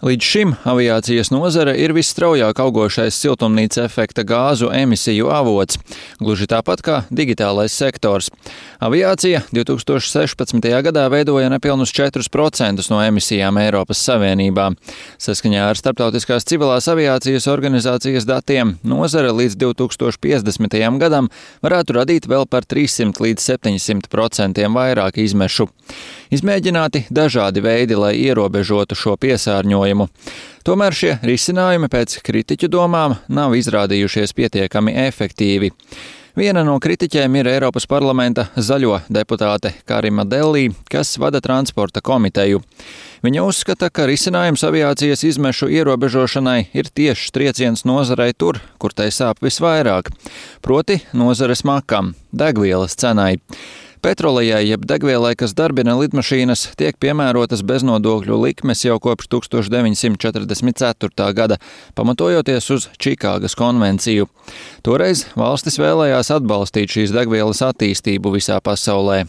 Līdz šim aviācijas nozare ir visstraujāk augošais siltumnīca efekta gāzu emisiju avots, gluži tāpat kā digitālais sektors. Aviācija 2016. gadā veidoja nepilnus 4% no emisijām Eiropas Savienībā. Saskaņā ar Starptautiskās civilās aviācijas organizācijas datiem nozare līdz 2050. gadam varētu radīt vēl par 300 līdz 700% vairāk izmešu. Izmēģināti dažādi veidi, lai ierobežotu šo piesārņojumu. Tomēr šie risinājumi pēc kritiķu domām nav izrādījušies pietiekami efektīvi. Viena no kritiķiem ir Eiropas parlamenta zaļo deputāte Karima Delli, kas vada transporta komiteju. Viņa uzskata, ka risinājums aviācijas izmešu ierobežošanai ir tieši trieciens nozarei tur, kur tai sāp visvairāk, proti nozares makam, degvielas cenai. Petrolejai jeb degvielai, kas darbina lidmašīnas, tiek piemērotas beznodokļu likmes jau kopš 1944. gada, pamatojoties uz Čikāgas konvenciju. Toreiz valstis vēlējās atbalstīt šīs degvielas attīstību visā pasaulē.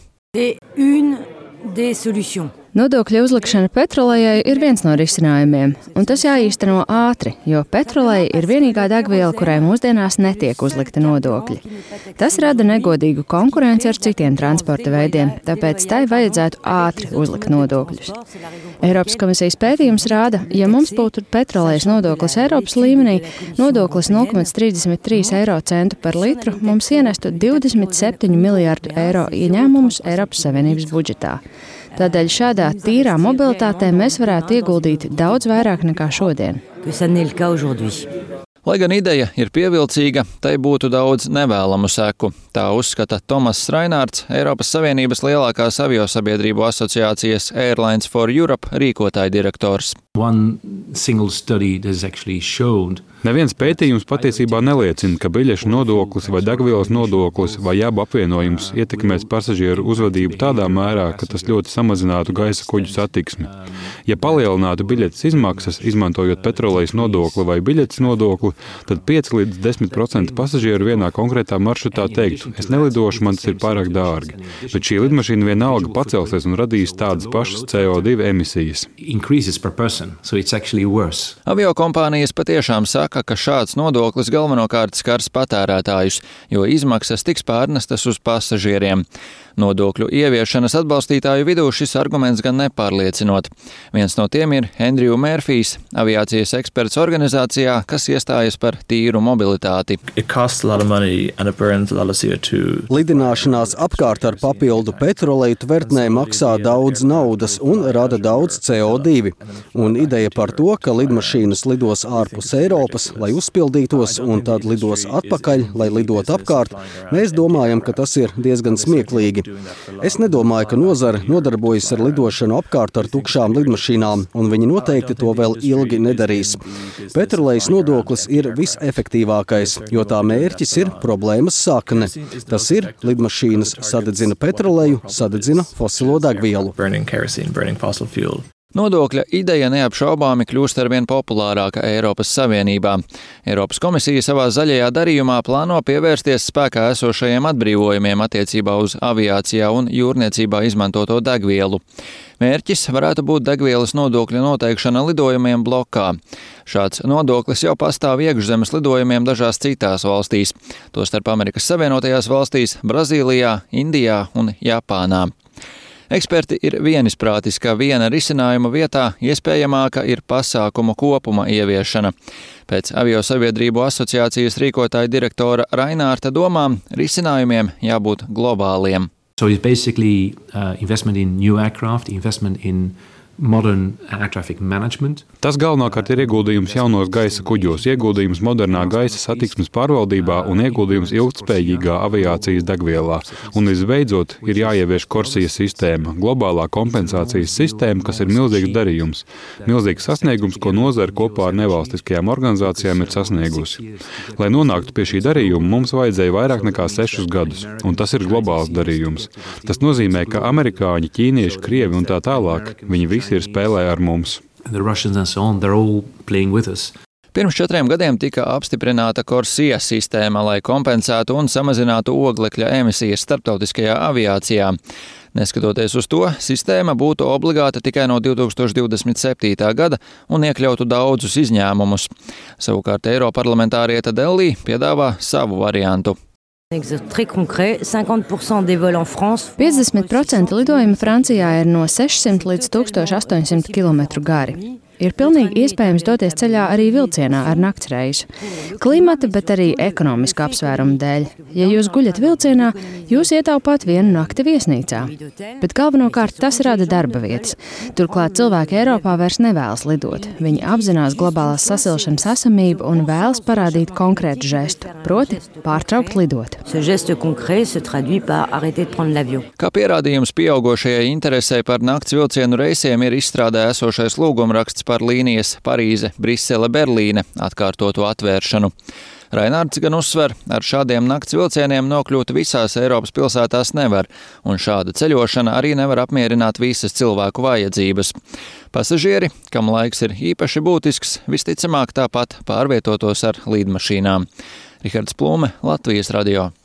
Nodokļu uzlikšana petrolejai ir viens no risinājumiem, un tas jāīsteno ātri, jo petroleja ir vienīgā degviela, kurai mūsdienās netiek uzlikta nodokļi. Tas rada negodīgu konkurenci ar citiem transporta veidiem, tāpēc tai vajadzētu ātri uzlikt nodokļus. Eiropas komisijas pētījums rāda, ja mums būtu petrolejas nodoklis Eiropas līmenī, nodoklis 0,33 eiro centu par litru, mums ienestu 27 miljārdu eiro ieņēmumus Eiropas Savienības budžetā. Tādēļ šādā tīrā mobilitātē mēs varētu ieguldīt daudz vairāk nekā šodien. Lai gan ideja ir pievilcīga, tai būtu daudz nevēlamu seku. Tā uzskata Tomass Rainārds, Eiropas Savienības lielākās aviosabiedrību asociācijas Airlines for Europe rīkotāja direktors. Neviens pētījums patiesībā neliecina, ka biļešu nodoklis vai degvielas nodoklis vai abu apvienojums ietekmēs pasažieru uzvedību tādā mērā, ka tas ļoti samazinātu gaisa kuģu satiksmi. Ja palielinātu biļetes izmaksas, izmantojot petrolejas nodokli vai biļetes nodokli, tad 5 līdz 10% pasažieru vienā konkrētā maršrutā teiktu, es nelidošu, man tas ir pārāk dārgi. Bet šī lidmašīna vienalga pacelsies un radīs tādas pašas CO2 emisijas. Aviokompānijas patiešām saka, ka šāds nodoklis galvenokārt skars patērētājus, jo izmaksas tiks pārnestas uz pasažieriem. Nodokļu ieviešanas atbalstītāju vidū šis arguments gan nepārliecinot. Viens no tiem ir Andrew Murphys, aviācijas eksperts organizācijā, kas iestājas par tīru mobilitāti. Lidināšanās apkārt ar papildu petroleju tvertnē maksā daudz naudas un rada daudz CO2. Un ideja par to, ka lidmašīnas lidos ārpus Eiropas, lai uzpildītos, un tad lidos atpakaļ, lai lidot apkārt, mēs domājam, ka tas ir diezgan smieklīgi. Es nedomāju, ka nozare nodarbojas ar lidošanu apkārt ar tukšām lidmašīnām, un viņi noteikti to vēl ilgi nedarīs. Petrolejas nodoklis ir visefektīvākais, jo tā mērķis ir problēmas sakne. Tas ir, lidmašīnas sadedzina petroleju, sadedzina fosilo degvielu. Nodokļa ideja neapšaubāmi kļūst arvien populārāka Eiropas Savienībā. Eiropas komisija savā zaļajā darījumā plāno pievērsties spēkā esošajiem atbrīvojumiem attiecībā uz aviācijā un jūrniecībā izmantoto degvielu. Mērķis varētu būt degvielas nodokļa noteikšana lidojumiem blokā. Šāds nodoklis jau pastāv iekšzemes lidojumiem dažās citās valstīs, tostarp Amerikas Savienotajās valstīs, Brazīlijā, Indijā un Japānā. Eksperti ir vienisprātis, ka viena risinājuma vietā iespējamāka ir pasākumu kopuma ieviešana. Pēc aviosabiedrību asociācijas rīkotāja direktora Rainārta domām risinājumiem jābūt globāliem. So it's basically investment in new aircraft, investment in modern air traffic management. Tas galvenokārt ir ieguldījums jaunos gaisa kuģos, ieguldījums modernā gaisa satiksmes pārvaldībā un ieguldījums ilgtspējīgā aviācijas degvielā. Un visbeidzot ir jāievieš Corsia sistēma, globālā kompensācijas sistēma, kas ir milzīgs darījums. Milzīgs sasniegums, ko nozare kopā ar nevalstiskajām organizācijām ir sasniegusi. Lai nonāktu pie šī darījuma, mums vajadzēja vairāk nekā 6 gadus, un tas ir globāls darījums. Tas nozīmē, ka amerikāņi, ķīnieši, krievi un tā tālāk, viņi visi ir spēlē ar mums. Pirms 4 gadiem tika apstiprināta Corsia sistēma, lai kompensētu un samazinātu oglekļa emisijas starptautiskajā aviācijā. Neskatoties uz to, sistēma būtu obligāta tikai no 2027. gada un iekļautu daudzus izņēmumus. Savukārt eiroparlamentāriete Delī piedāvā savu variantu. 50% lidojumi Francijā ir no 600 līdz 1800 km gari. Ir pilnīgi iespējams doties ceļā arī vilcienā ar naktsreisu. Klimata, bet arī ekonomiska apsvērumu dēļ. Ja jūs guļat vilcienā, jūs ietaupāt vienu nakti viesnīcā. Bet galvenokārt tas rada darba vietas. Turklāt cilvēki Eiropā vairs nevēlas lidot. Viņi apzinās globālās sasilšanas esamību un vēlas parādīt konkrētu žestu, proti pārtraukt lidot. Kā pierādījums pieaugošajai interesei par nakts vilcienu reisiem ir izstrādē esošais lūgumraksts par līnijas Parīze, Brisele, Berlīne atkārtotu atvēršanu. Rainārds gan uzsver, ar šādiem nakts vilcieniem nokļūt visās Eiropas pilsētās nevar, un šāda ceļošana arī nevar apmierināt visas cilvēku vajadzības. Pasažieri, kam laiks ir īpaši būtisks, visticamāk tāpat pārvietotos ar līdmašīnām. Rihards Plūme, Latvijas radio.